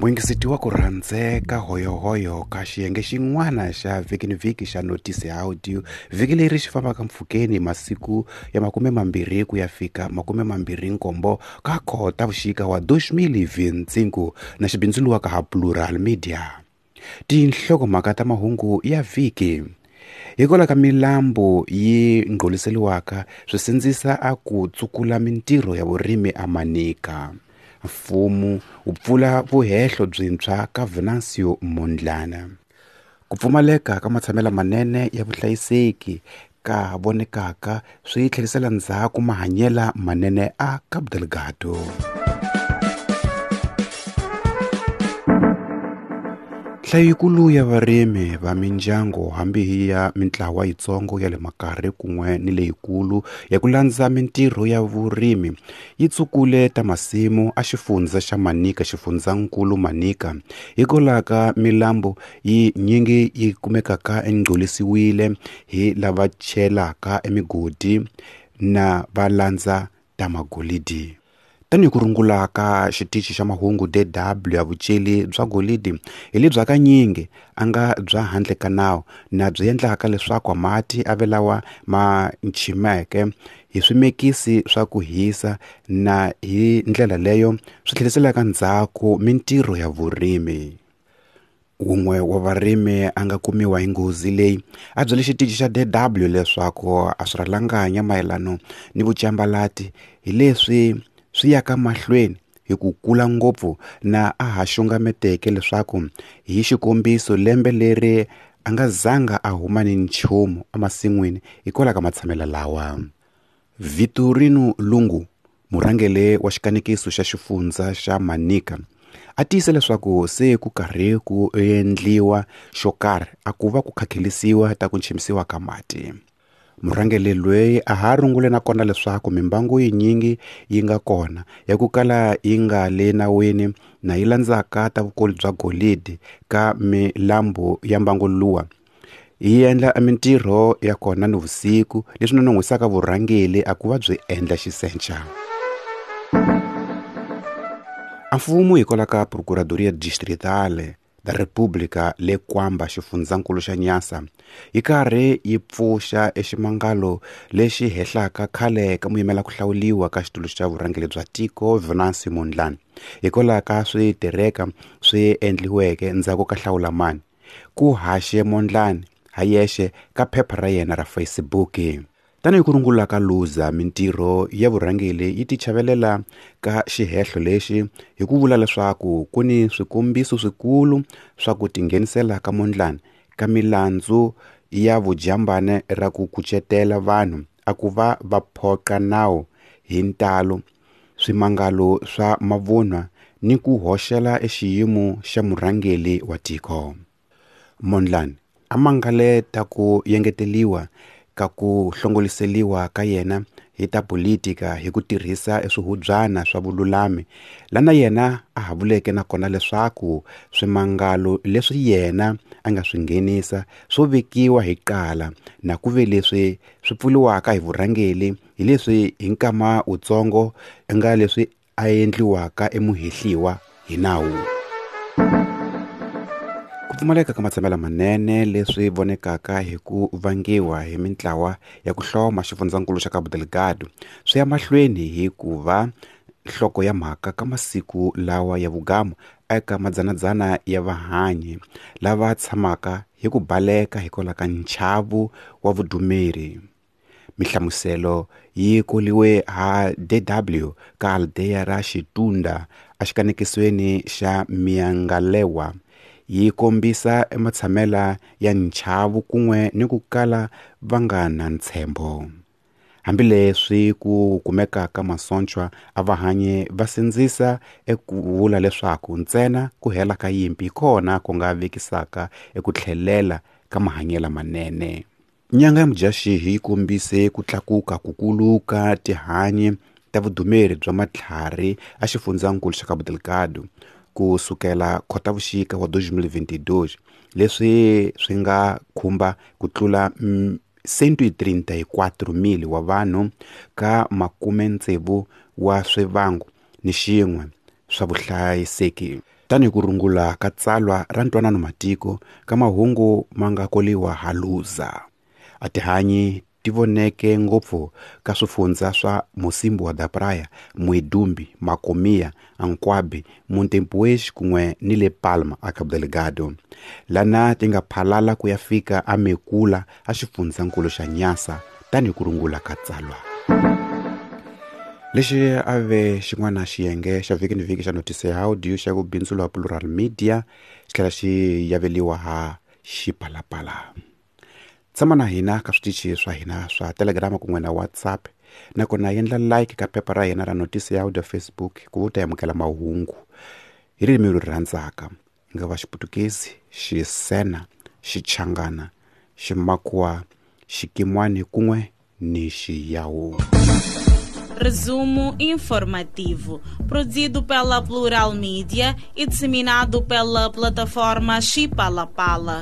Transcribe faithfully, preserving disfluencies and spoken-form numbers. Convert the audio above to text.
Muyingiseti wa ku rhandzeka hoyohoyo ka xiyenge xin'wana xa vhiki ni vhiki xa Notice Audio vhiki leri xi fambaka mpfhukeni masiku ya makume mambirhi ku ya fika makume mambirhi nkombo ka Khotavuxika wa dois mil e vinte e cinco na xibindzuluwa ka ha Plural Media. Tinhlokomhaka ta mahungu ya vhiki hikwalaho ka milambu yi ngholiseriwaka swi sindzisa a ku tsukula mintirho ya vurimi a Manica. Mfumo wu pfula vuhehlo byintshwa ka Venancio Mondlane. Ku pfumaleka ka matshamelo manene ya vuhlayiseki ka vonekaka swi tlherisela ndzhaku mahanyelo manene a Cabo Delgado. Nhlayo yikulu ya varimi va mindyangu hambi hi ya mintlawa yitsongo ya le makarhi kun'we ni leyikulu ya ku landza mintirho ya vurimi yi tsukule ta masimu a xifundza xa Manica xifundzankulu Manica hikwalaho ka milambu yi nyingi yi kumekaka engcolisiwile hi lava chelaka emigodi na va landza ta magolidi. Tanihi ku rungula ka xitichi xa mahungu D W ya vuceli bya golidi hi lebyi hakanyingi a nga bya handle ka nawu na byi endlaka leswaku mati a ve lawa ma nchimeke hi swimekisi swa ku hisa na hi ndlela leyo swi tlheriselaka ndzhaku mintirho ya vurimi. Wun'we wa varimi a nga kumiwa hi nghozi leyi a byele xitichi xa D W leswaku a swi rhalanganya mayelano ni vucambalati hi leswi swi yaka mahlweni hi ku kula ngopfu na a ha xungameteke leswaku hi xikombiso lembe leri a nga zanga a huma ni nchumu emasin'wini hikwalaho ka matshamelo lawa. Vitorino Lungu, murhangeri wa xikanekiso xa xifundza xa Manica, a tiyise leswaku se ku karhi ku endliwa xo karhi a ku va ku khakhelisiwa ta ku nchimisiwa ka mati. Murhangeri loyi a ha rungule na kona leswaku mimbangu yinyingi yi nga kona ya ku kala yi nga le nawini na yi landzaka ta vukulu bya golidi ka milambu ya mbangu luwa yi endla mintirho ya kona ni vusiku leswi nonon'hwisaka vurhangeri a ku va byi endla xisenca. A mfumo hikwalaho ka Procuradoria Distrital da República le Kwamba xifundzankulu xa Nyasa yi karhi yi pfuxa eximangalo lexi hehlaka khale ka muyimela ku hlawuliwa ka xitulu xa vurhangeri bya tiko Venancio Mondlane hikwalaho ka switereka swi endliweke ndzhaku ka hlawulamani ku haxe Mondlane ha yexe ka phepha ra yena ra Facebook. Tanihi ku rungula ka Luza mintirho ya vurhangeri yi tichavelela ka xihehlo lexi hi ku vula leswaku ku ni swikombiso swikulu swa ku tinghenisela ka Mondlane ka milandzu ya vujambane ra ku kucetela vanhu a ku va va phoqa nawu hi ntalo swimangalo swa mavunwa ni ku hoxela exiyimo xa murhangeri wa tiko. Mondlane a mangaleta ku yengeteliwa ka ku hlongoliseliwa ka yena hi ta politika hi ku tirhisa eswihubyana swa vululami lana yena a ha vuleke na kona leswaku swimangalo leswi yena a nga swi nghenisa swo vekiwa hi qala na ku ve leswi swi pfuliwaka hi vurhangeri hi leswi hi nkama wutsongo nga leswi a endliwaka emuhehliwa hi nawu. Ku pfumaleka ka matshamelo manene leswi vonekaka hi ku vangiwa hi mintlawa ya ku hloma xifundzankulu xa Cabo Delgado swi ya mahlweni hi ku va nhloko ya mhaka ka masiku lawa ya vugamu eka madzanadzana ya vahanyi lava tshamaka hi ku baleka hikwalaho ka nchavu wa vudumeri. Mihlamuselo yi koliwe ha D W ka aldeya ra Xitunda exikanekisweni xa Miangalewa yi kombisa ematshamela ya nchavu kun'we ni ku kala va nga na ntshembo. Hambileswi ku kumekaka masochwa a vahanyi va sindzisa eku vula leswaku ntsena ku hela ka yimpi kona ku nga vekisaka eku tlhelela ka mahanyelo manene. Nyanga ya Mudyaxihi yi kombise ku tlakuka kukulu ka tihanyi ta vudumeri bya matlhari a xifundzankulu xa Cabo Delgado ku sukela Khotavuxika wa dois mil e vinte e dois leswi swi nga khumba ku tlula cento e trinta e quatro mil wa vanhu ka makume tsevu wa swivango ni xin'we swa vuhlayiseki. Tanihi ku rungula ka tsalwa ra ntwanano matiko ka mahungu ma nga koliwa ha Luza. A tihanyi ti voneke ngopfu ka swifundza swa Mocímboa da Praia, Muidumbe, Macomia, Ancuabe, Montepuez kun'we ni le Palma a Cabo Delgado. Lana ti nga phalala ku ya fika a Mekula a xifundzankulu xa Nyasa tanihi ku rungula ka tsalwa. Lexi a ve xin'wana xiyenge xa vhiki ni vhiki xa Notice ya Audio xa ku bindzu Plural Media xi tlhela xi yaveliwa ha Xipalapala. Tshama na hina ka switichi swa hina swa Telegram kun'we na WhatsApp, nakona endla like ka phepha ra hina ra Notice ya Audio Facebook ku u ta amukela mahungu hi ririmi leri rhandzaka, nga va Xiputukezi, Xisena, Xichangana, Ximakwa, Xikimwani kun'we ni Xiyawu. Resumo informativo, produzido pela Plural Media e disseminado pela plataforma Xipalapala.